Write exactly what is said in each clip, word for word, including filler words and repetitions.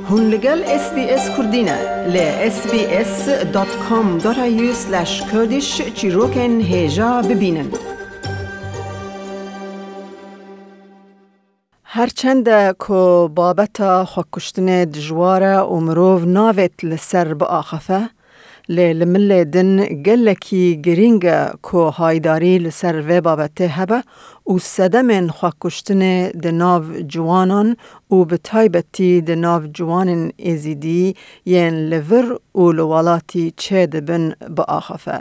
Hûn li gel S B S Kurdî ne. Li S B S dot com dot A U slash Kurdish çîrokên hêja bibînin. Her çende ku babeta xwekuştinê dijwar e û mirov navêt li ser biaxife, lê li milê din gelekî girîng e ku haydarî li ser vê babetê hebe û sedemên xwekuştinê di nav ciwanan û bi taybetî di nav ciwanên Êzîdî yên li vir û li welatî çêdibin biaxife.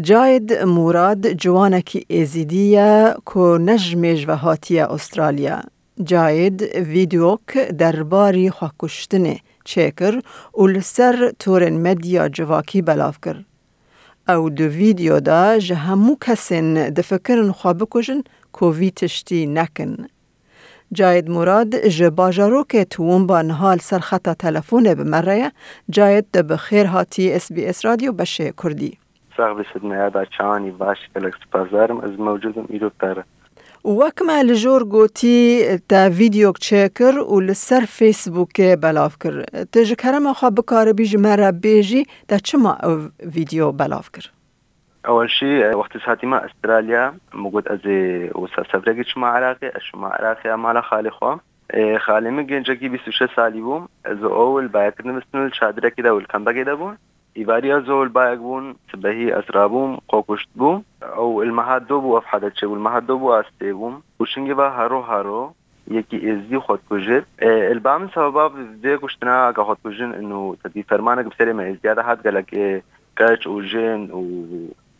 Cahid Murad ciwanekî Êzîdî ye ku ne ji mêj ve hatiye Australya. Cahid vîdeok derbarî xwekuştinê çêkir û li ser torên medya civakî belav kir. Ew di vîdeo de ji hemû kesên difikirin xwe bikujin ku vî tiştî nekin. Cahid Murad ji bajarokê Toowoomba niha li ser xeta telefonê bi me re ye. Cahid, te bi xêr hatî S B S Radyo beşê Kurdî. Sax bî Sidnaya da çawanî baş, gelek spasdarim. Ez mewcûd im îro te re. Û wek me li jor gotî, te vîdeok çêkir û li ser Facebookê belav kir. Tu ji kerema xwe bikaribî ji me re bêjî, te çima ew vîdeo belav kir? Ewel jî, e, wextê hatîme Australya, min got ez ê wisa seferekê çima Iraqê, ez çima Iraqê ya mala xalê xwe. E, xalê min gencekî bîst û şeş salî bû. Ez û ew li bayekirine bistîn û li çadirekê de û li kempekê de bûn. Îvarî ez û ew li bayek bûn, sibehî ez rabûm, xwe kuşt bû. Ew li meha do bû ev hades çêbû, li meha do bû ez tê bûm. Û çingê ve haro haro yekî êzdî xwe dikujê. E, li ba min sebeba vê kuştina, eke xwe dikujin, û tedî fermanek bi serê me êzdiya de hat, gelek, e, keç û jin û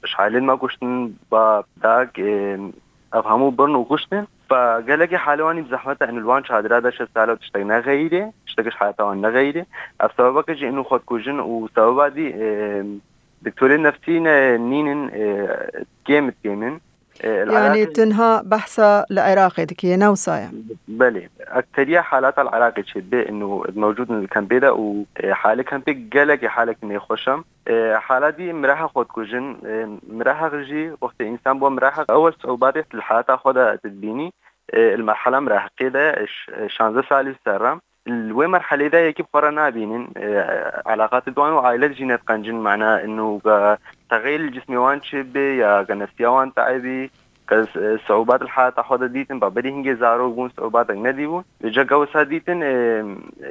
ji ailên me kuştin, bab, dayik, e, ev hemû birin û kuştin. Fa gelekî halê wan î bi zehmet e, û li wan çadira de şeş sala tiştek nexeyîrê, tiştek ji heyata wan nexeyîrê. Ev sebebeke jî û xwe dikujin û sebeba dî, e, doktorên nefsî ne nînin, e, kêm dikêmin. E, li Yanî Iraqê tu niha behsa li Iraqê dikî, ne wisa ye? Belê. Ekseriya halata li Iraqê çêdibê, û mewcûd in li kempê de û, e, halê kempê gelekî halekî nêxweş e. E, hala dî mirehek xwe dikujin. E, mirehek jî wextê însan bo mirehek ewel siûbatê li heyata xwe de dibînî. E, li merhela mireheqê de ş-, şanzdeh salî ser re. Li wê merhelê de yekî bi xwe re nabînin. E, elaqatê di wan û aîlet jî nediqencin, mana û ke texeyil li cismê wan çêbê ya ke nefsiya wan te'ebî, ke s-, siûbat li heyata xwe de dîtin, ba berî hingê zarok bûn, siûbatek nedîbûn. Li cek ew wisa dîtin, e,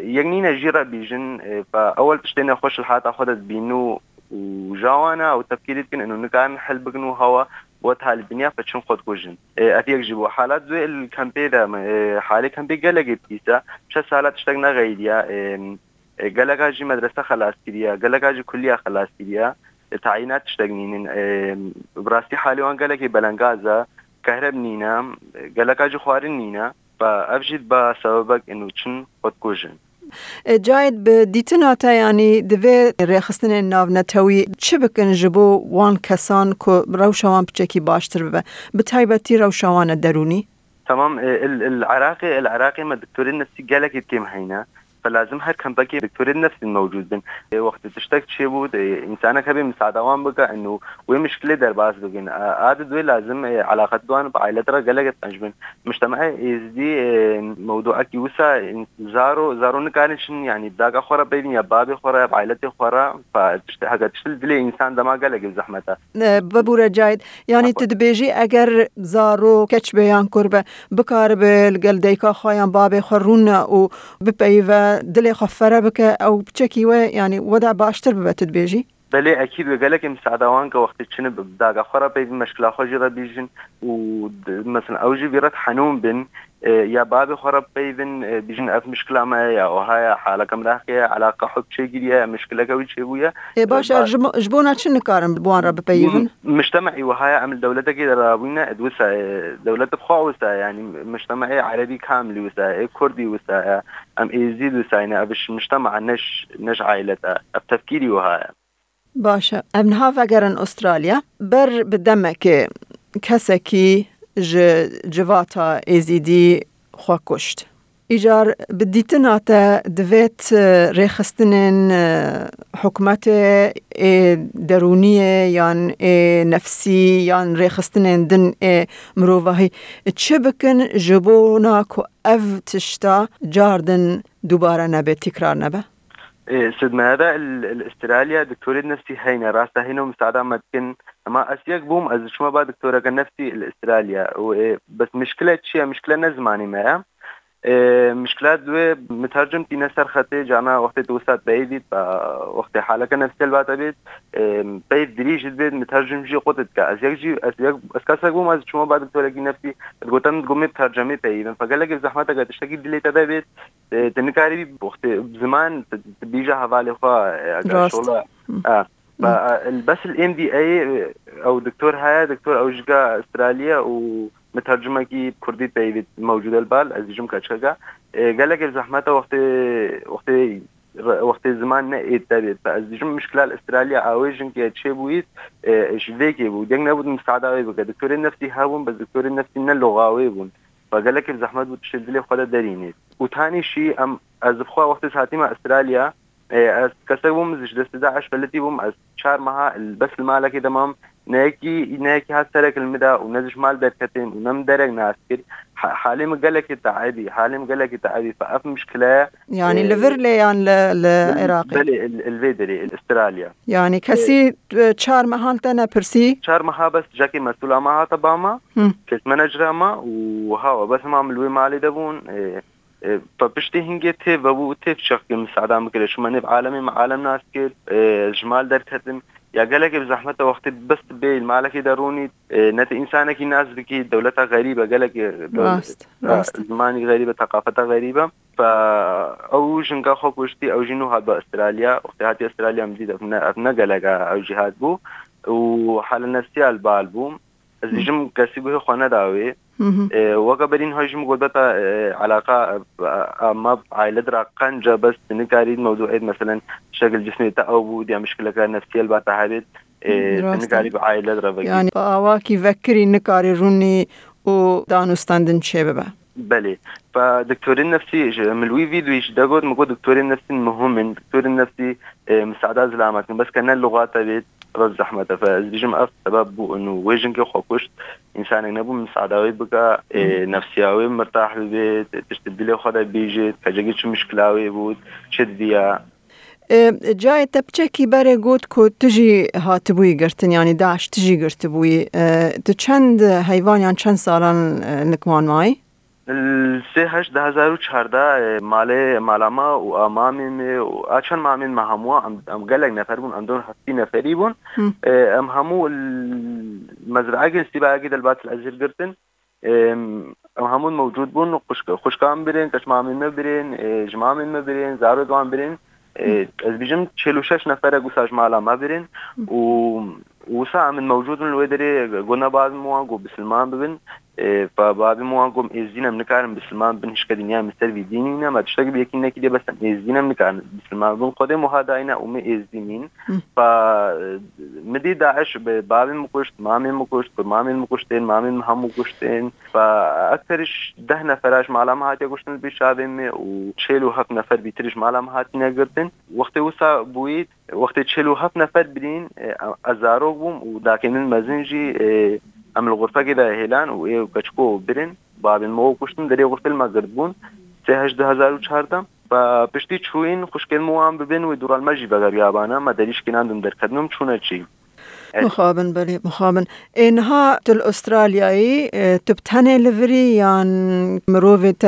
yek nîne jî re bîjin, e, fa ewel tiştê nexweş li heyata xwe de dibînin û, û ja wan e û tefkîrî dikin, û nikarin hel bikin û hewa bo talibiniya fe çin xwe dikujin. E, ev yek jî bû. Halat wê li kempê de, e, halê kempê gelekê pîs e. Şeş sala tiştek nexeyîriye. E, e, geleka jî medrese xelas kiriye, geleka jî kulliya xelas kiriye. E, tayînat tiştek nînin. E, bi rastî halê wan gelekî belengaz e. Kehreb nîne, e, geleka jî xwarin nîne. Fa ev jî dibe sebebek û çin xwe dikujin. E, Cahit, bi dîtina te, yanî divê rêxistinên navnetewî çi bikin ji bo wan kesan ku rewşa wan piçekî baştir bibe? Bi taybetî rewşa wan e derûnî? Tamam, e, il, il Iraqê, il Iraqê me doktorên nefsî gelekî kêm heyne. Fe lazim her kempekê doktorên nefsî mewcûd bin. E, wextê tiştek çêbû, e, însanek hebe misada wan bike, û wê mişkilê derbas bikin. A, a di wê lazim, e, elaqet wan bi aîlet re gelek qenc bin. Mujtemaê êzdî, e, mewduekî wisa, in-, zaro, zaro nikarin çin, yanî bi daka xwe re peyvin ya babê xwe re, bi ailetê xwe re, fa tişt, heke tişt li dilê însan dema gelekî zehmet e. E, bibûre Cahit, yanî tu dibêjî eger zaro keç be yan kur be, bikaribe li gel dayika xwe yan babê xwe rûne û bipeyive, dilê xwe fere bike, ew piçekî we, yanî we de baştir bibe, tu dibêjî? Belê, ekîd wê gelekê misada wan ke wextê çin bi daka xwe re peyvin, meşkila xwe jî re bîjin û d-, mesela ew jî vî re henûn bin, e, ya babê xwe re peyvin, e, bîjin ev mişkila me ye, ya wiha ye, haleke mirehekê ye, eleqa hub çêgiriye, ya mişkileke wî çêbûye. Ê baş e, ba- ji bo-, ji bona çi nikarin bi wan re bipeyivin? M-, mujtemaî wiha ye, em li dewletekê de rabûne, ed wisa ye, dewlet bi xwe wisa ye, yanî mujtemaê erebî kamilî wisa ye, ê kurdî wisa ye, em êzîd wisa ye, yanî ev ji mujtema ne ji, ne ji ailet e, ev tefkîrî wiha ye. Baş e. Em niha vegerin Australya. Ber bi demekê kesekî ji civata Êzîdî xwe kuşt. Îcar bi dîtina te divêt, e, rêxistinên, e, hikûmetê ê derûniyê yan ê nefsî yan rêxistinên din ê mirovahî çi bikin ji bona ku ev tişta cardin dubare nebe, tîkrar nebe? Ê, Sid Mehera, li, li Australya doktorê nefsî heyne, rasta heyne û misada me dikin. Ema ez yek bûm, ez diçûme ba doktoreke nefsî li Australya. Û, ê, bes mişkile çi ye? Mişkile ne zimanî me ye. Ê, mişkila di wê mitercim tîne ser xetê, cana wextê tu wisa peyvît, ba wextê haleke nefsî helbata bêt, ê, peyv dirîj dibêt, mitercim jî qut dike. Ez yek jî, ez yek, ez kesek bûm, ez diçûme ba doktorekî nefsî, digote min, digot, mê bi tercemê peyivin. Fe gelekê bi zehmeteke tiştekî dilê te de bêt, e, tu nikarî bî, wextê ziman, tu, tu bîja hevalê xwe, e, eger Rast. şola, Hı. e, Hı. ba, e, bes li M D A, e, ew doktor heye, doktor ew jî ga Australiya û mitercimekî kurdî peyvî mewcûd e li bal, ez dijim keçkeka. E, gelekê zehmet e wextê, wextê, wextê ziman ne êt debêt. Ba ez dijim mişkila li Australiya awê jinkê çêbûyît, e, ji vê kê bû. Deng nebût misada wê bike. Doktorê nefsî hebûn, bes doktorê nefsî ne loxa wê bûn. Ve gelekî bi zehmet bû tiştê dilê xwe de derînê. Û tanî şî em, ez bi xwe wextê ez hatîme Australya, e, ez kesek bûm, ji destê DAIŞ felitî bûm, ez çar meha li, bes li malekê de mam, ne yekî, ne yekî hat serek li min de û ne ji mal derketim û ne min derek nas kir. Ha-, halê min gelekî te'ebî, halê min gelekî te'ebî. Fe ev mişkile ye. Yanî E, li vir lê yan li, li Iraqê? Belê, li, li vê derê, li Australya. Yanî E, kesî, e, çar mehan te nepirsî? Çar meha bes cekê mesûla me hate ba me, Hı. kes menecera me û hawa bes hema min li wê malê de bûn. E, e, pa piştî hingê tê vebû, tê çaxkê min sada min kire. Çima nêv alemê min alem nas kir, e, ji mal derketim. Ya gelekê bi zehmet e wextê bes tu bê li malekê de rûnî, e, ne tu însanekî nas bikî, dewleta xerîb e, gelekê dew-, Rast, e, rast. zimanî xerîb e, teqafeta xerîb e. Fe ew jinka xwe kuştî, ew jî nû hat bi Australya. Wextê hatî Australya min dît, ev ne, ev ne gelek e, ew jî hat bû. Û hala nefsiya li bal bû. Ez Hı. dijim kesî guhê xwe neda wê. Hı hı. E, weke berî niha jî min got beta, e, eleqa, e, e, me aile dira qenc e, bes tu nikarî mewdû êd, meselen, şekil cismê te ew bû, diya mişkileke nefsî helbata hebêt, e, tu Rast e. nikarî bi aile dira vekî. Yanî awakî vekirî nikarî rûnî û danûstendin çê bibe. Belê. Fe doktorên nefsî ji, min li wî vîdyoyê jî de got, min got doktorên nefsî muhim in, doktorên nefsî, e, misada zilamet in, bes ke ne luxate bêt, rez zehmet e. Fe ez dijim ev sebeb bû û wê jinkê xwe kuşt, însanek nebû misada wê bike, e, Hı. nefsiya wê mirtah bibe, tiştê dilê xwe de bêjê, kecekî çi mişkila wê bû, çi didiya. E, cayê te piçekî berê got ku tu jî hatibûyî girtin, yanî DAIŞ tu jî girtibûyî. E, tu çend heyvan yan çend salan, e, nikman mayî? Li sê heşt du hezar û çardeh, e, malê, mala me û a mamê me û a çend mamên me hemû, em, em gelek nefer bûn, em don heftî neferî bûn. Hı. E, em hemû li mezraekê, li stîbakê de li Bat el Ezîr girtin. Em, em hemû mewcûd bûn, xwişk-, xwişkan birên, keçmamên me birên, e, ji mamên me birên, zarok wan birên. E, Hı. ez bijim çil û şeş neferek wisa ji mala me birên Hı. û wisa em mewcûd in li wê derê, got ne bavê min wan got bisilman bibin. E, pa bavê min wan got em êzdîn em nikarin bisilman bin, hişke dinya min ser vî dînî ne, me tiştek bi yekî nekî dê bes em êzdîn em nikarin bisilman bin. Xwedê muhadayî ne û me êzdî nîn. Hı. Pa, e, min dî DAIŞ bi bavê min kuşt, mamê min kuşt, kurmamên min kuştên, mamên min hemû kuştên. Fa ekteriş deh nefera ji mala me hatiye kuştin li pêş çavê me û çêl û heft nefer bîtir ji mala me hatine girtin. Wextê wisa bûyî, wextê çêl û heft nefer birîn, e, ez zarok bûm û dakê min mezin jî, e, em li xurfekê de hêlan û ê keçiko birin. Bavên me û kuştin derê xurfê li me girt bûn. Sê heşt du hezar û çardeh. Fa piştî çûyîn xwişkên me wan bibin wê dûra li me jî vegeriya bana. Me derî şikînan dûm derketin û em çûne çî. Evet. Mixabin, belê, mixabin. Ê, niha tu li Australyayê, e, tu bi tenê li vir î yan mirovê te,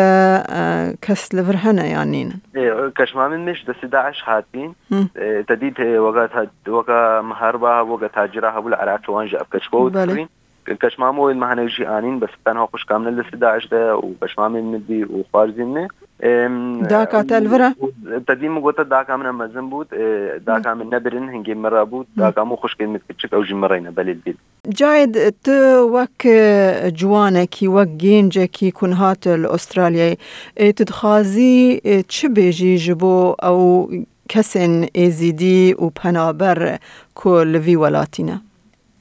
e, kes li vir hene yan nînin? Ê, keşmamên me ji destê DAIŞ hatîn. Hı. Ê, te dît, ê, weka ta-, weka miherba hebû, weka tacira hebû li Iraqê wan jî ev keçko Belê. dikirîn. Keşmamên me hinek jî anîn, bes tenha xwişka min li destê DAIŞ de û keşmamên min dî û xwarzên me. Em, Daka te li vir e? û te dî min gote daka min e mezin bût, e, daka min nebirin, hingê min re bût, daka min û xwişkên min kiçik, ew jî min reyne belê dît. Cahid, tu wek, e, ciwanekî, wek gencekî ku niha tu li Australyayê, e, tu dixwazî, e, çi bêjî ji bo ew kesên êzîdî û penaber ku li vî welatî ne?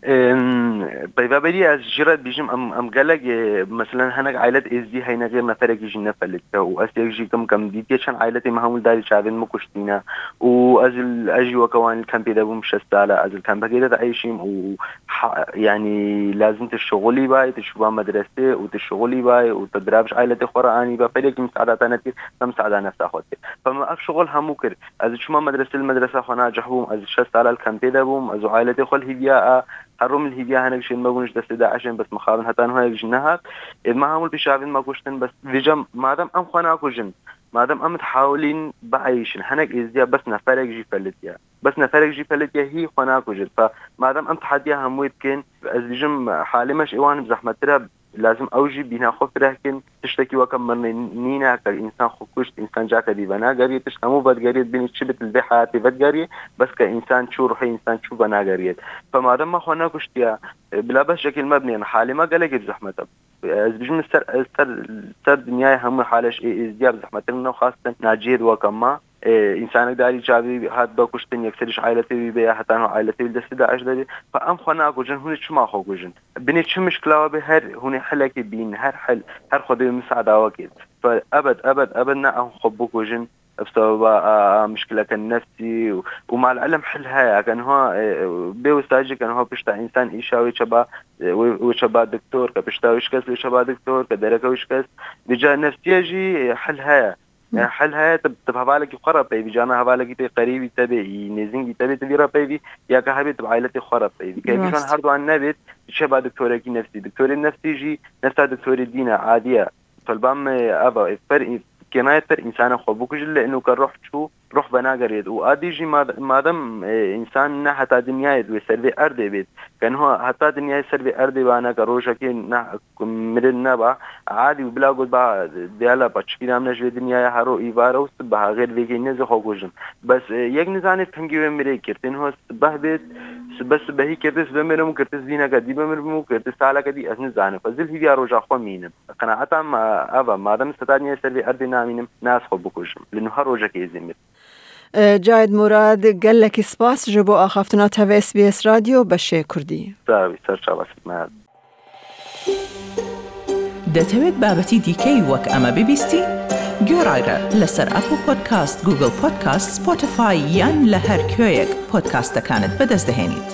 Em, peyva berî ez jî re dibêjim, em, em gelek, e, meselen hinek ailet êzdî heyne xêr neferekî jî nefelitiye û ez yek jî kim kem dîtiye çend ailetê me hemû li darî çavên me kuştîne û ez, ez jî weke wan li kempê de bûm şeş sala, ez li kempekê de dieyşîm û ha, yanî lazim tu şixulî bay, tu çûba medresê û tu şixulî bay û tu dirab ji ailetê xwe re anî be, pelekî misada te nekir, te misada nefsa xwe dikir. Fe me ev şixul hemû kir. Ez çûma medresê, li medresa xwe nacih bûm, ez şeş sala li kempê de bûm, ez û ailetê xwe li hîviya a, her rom li hîviya hinek jin me bûn ji destê DAIŞ'ên, bes mixabin heta niha yek jî nehat. Ê me hemû li pêşavên me kuştin, bes vêca madem em xwe nakujin, madem em dihawilîn bieyşin, hinek êzdiya bes neferek jî felitiye. Bes neferek jî felitiye hî xwe nakujin. Fe madem em tehediya hemûyê dikin, ez dibêjim halê me ji êwan bi zehmettir e, lazim ew jî bîna xwe fireh kin. Tiştekî weke mirinê nîne, ke însan xwe kuşt, însan cake dî venageriyê, tişt hemû vedigeriyê, bînî çi bit li vê heyatê vedigeriyê, bes ke însan çû, ruhê însan çû venageriyê. Fe madem me xwe nekuştiye, e, bila bes şekil me binêrin, halê me gelekî bi zehmet e. Ez dibêjim ser, ser, ser dinyayê hemû hale ji ê êzdiya bi zehmetir ne xastin naciyê di weke me. E, însanek darî çavî hat be kuştin, yekserî ji ailetê wî be ya heta niha ailetê wî li destê DAIŞ de be. Fe em xwe nakujin, hûn ê çima xwe kujin? Binê çi mişkila we be, her hûn ê hilekê bînin, her hil, her Xwedê wê misada we kê. Fe ebed, ebed, ebed ne em xwe bikujin. Bi sebeba a, a mişkileke nefsî û, û mal ilm hil heye. Ke niha, e, bê wisa jî ke niha pişta însan îşa wê çeba, e, wê, wê çeba doktor, ke pişta wê şikest wê çeba doktor, ke dereke wê şikest. Vêca nefsiye jî, e, hil heye. E, hil heye, tu, tu bi hevalekî xwe re peyvî, cana hevalekî tê qerîbî te bê, î nêzîngî te bê, tu vî re peyvî, ya ke hebê tu bi ailetê xwe re peyvî. Ke hêvî ji wan Rast. Her duan nebêt, tu çeba doktorekî nefsî. Doktorê nefsî jî nefsa doktorê dîn e, adî ye. Tolba me ev e, per, kênayê per însanê xwe bikujin, lê ino ke ruh çû, ruh venageriyêt. Û adî jî mad-, madem, e, însan ne heta dinyayê wê ser vê erdê bêt, ke niha heta dinyayê ser vê erdê ba, ne ke rojekê ne mirin neba, adî û bila got ba, diyala ba çi bîra min e ji vê dinyayê, hero îvare û sibeha, xêr vêkê nêzî xwe kujin. Bes, e, yek nizanê pingê wê mirê kir, tê niha sibeh bêt, sibe sibehî kirtê, sibe mirim û kirtê zîneke dî bimirim û kirtê saleke dî, ez nizanim. Ez li hîviya roja xwe mînim. Qenaeta me ev e, madem seta dinyayê ser vê erdê namînim, ne ez xwe bikujim. Li niha rojekê ez ê mirim. E, Cahit Murad, gelekî spas ji bo axaftina te ve S B S Radyo beşê Kurdî. Sağ bî, ser çava xizmet. دەتەوێت بابەتی دیکەی وەک ئەمە ببیستی؟ گوێڕایرە لەسەر ئەپڵ پۆدکاست، گوگڵ پۆدکاست، سپۆتیفای یان لە هەر کوێیەک پۆدکاستەکانت بەدەست دەهێنیت.